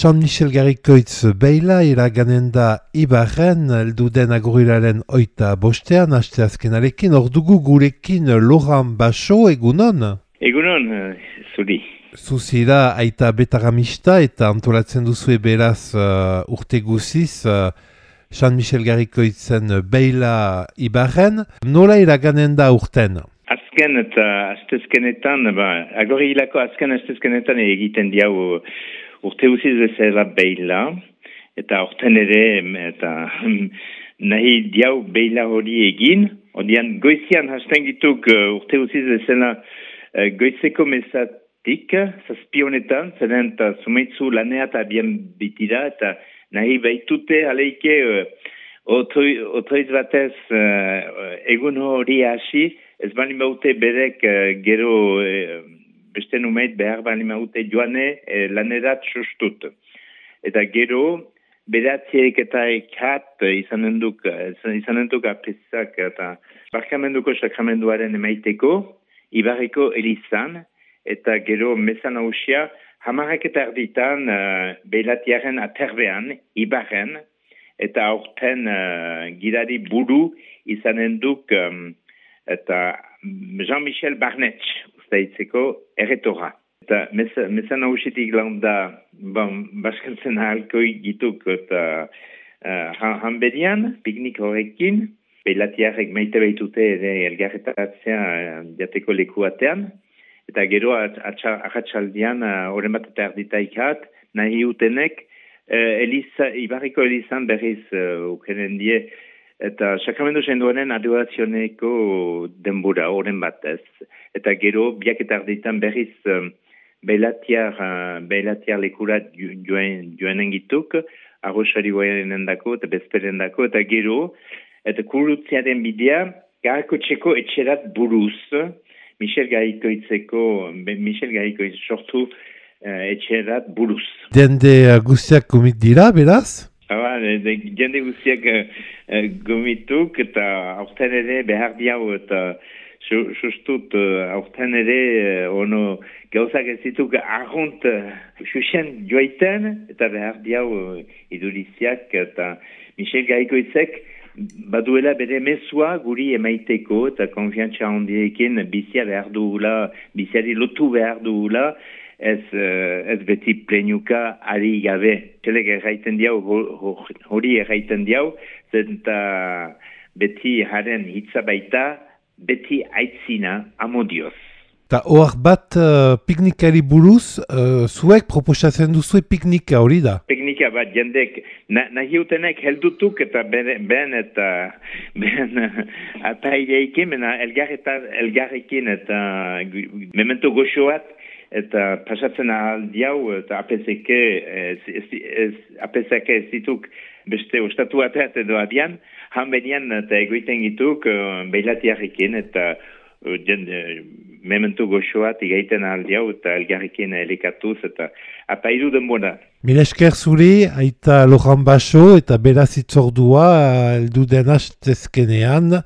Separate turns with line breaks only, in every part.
San Michel Garrikoitz beila iraganen da Ibarren, elduden agurilaren 25, asteazkenarekin, ordugu gurekin Laurent Basso, egunon?
Egunon, zuri.
Zuzira aita betaramista eta antolatzen duzue beraz urte guziz San Michel Garrikoitzen beila Ibarren. Nola iraganen da urten?
Azken eta astezkenetan, agorilako azken astezkenetan egiten diau urte guziz bezala beila, eta urten ere, eta nahi diau beila hori egin. Odian goizian hasten gituk urte guziz bezala goizeko mesatik, zazpionetan, zeren eta sumeitzu lanea eta bien bitira, eta nahi baitute aleike otoiz batez egun hori hasi, ez bali baute berek gero beste numeit behar bali baute joane lanerat sustut. Eta gero beratziek eta ekat izanen duk apesak eta barkamenduko sakramenduaren emaiteko, Ibarreko elizan, eta gero mesan hausia, hamarrak eta erditan beilatiaren aterbean, Ibarren, eta aurten gidari buru izanen duk eta Jean-Michel Barnetx, ustaitzeko erretora. Eta mesan hausitik landa, baskantzen ahalkoi gituk eta hanbedian, piknik horrekin, beilatiarek maite baitute ere elgarretatzea jateko lekuatean, eta gero ahatsaldian horren bat eta erditaikat, nahi utenek, Ibarriko elizan berriz ukenen die, eta sakramendu senduaren adorazioneko denbora horren batez. Eta gero biak eta erditan berriz beilatiar lekurat joanen gituk, arrosari guaiaren dako eta bezperen dako, eta gero, eta kurutziaren bidea, Garrikotxeko etxerat buruz, Michel Garrikoitz sortu etxerat buruz.
Jende guztiak gomit dira, beraz?
Jende guztiak gomituk, eta aurten ere behar diau, eta sustut aurten ere ono gauzak ez dituk arrunt xuxen joaiten, eta behar diau iduriziak, eta Michel Garrikoitzek baduela bere mesua guri emaiteko eta konfiantza handiekin bizia behar duela, biziari lotu behar duela, ez beti plenuka ari gabe. Txelek erraiten diau, hori erraiten diau, zenta beti haren hitza baita, beti aitzina amodioz.
Eta hor bat piknikari buruz, zuek proposatzen duzue piknika hori da?
Piknika bat jendek, nahi utenek heldutuk eta ben apaileikin, elgarrekin eta memento goxoat, eta pasatzen aldiau, eta apeseke ez dituk beste ostatu ateat edo adian, hanbenian eta egoiten gituk beilatiarrekin, eta memento goxoat igaiten aldiau eta elgarrekin elikatuz eta apaidu denbora.
Mila esker zuri, aita Laurent Basso eta beraz itzordua elduden astezkenean,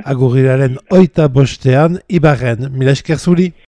agurilaren 25 Ibarren. Mila esker zuri.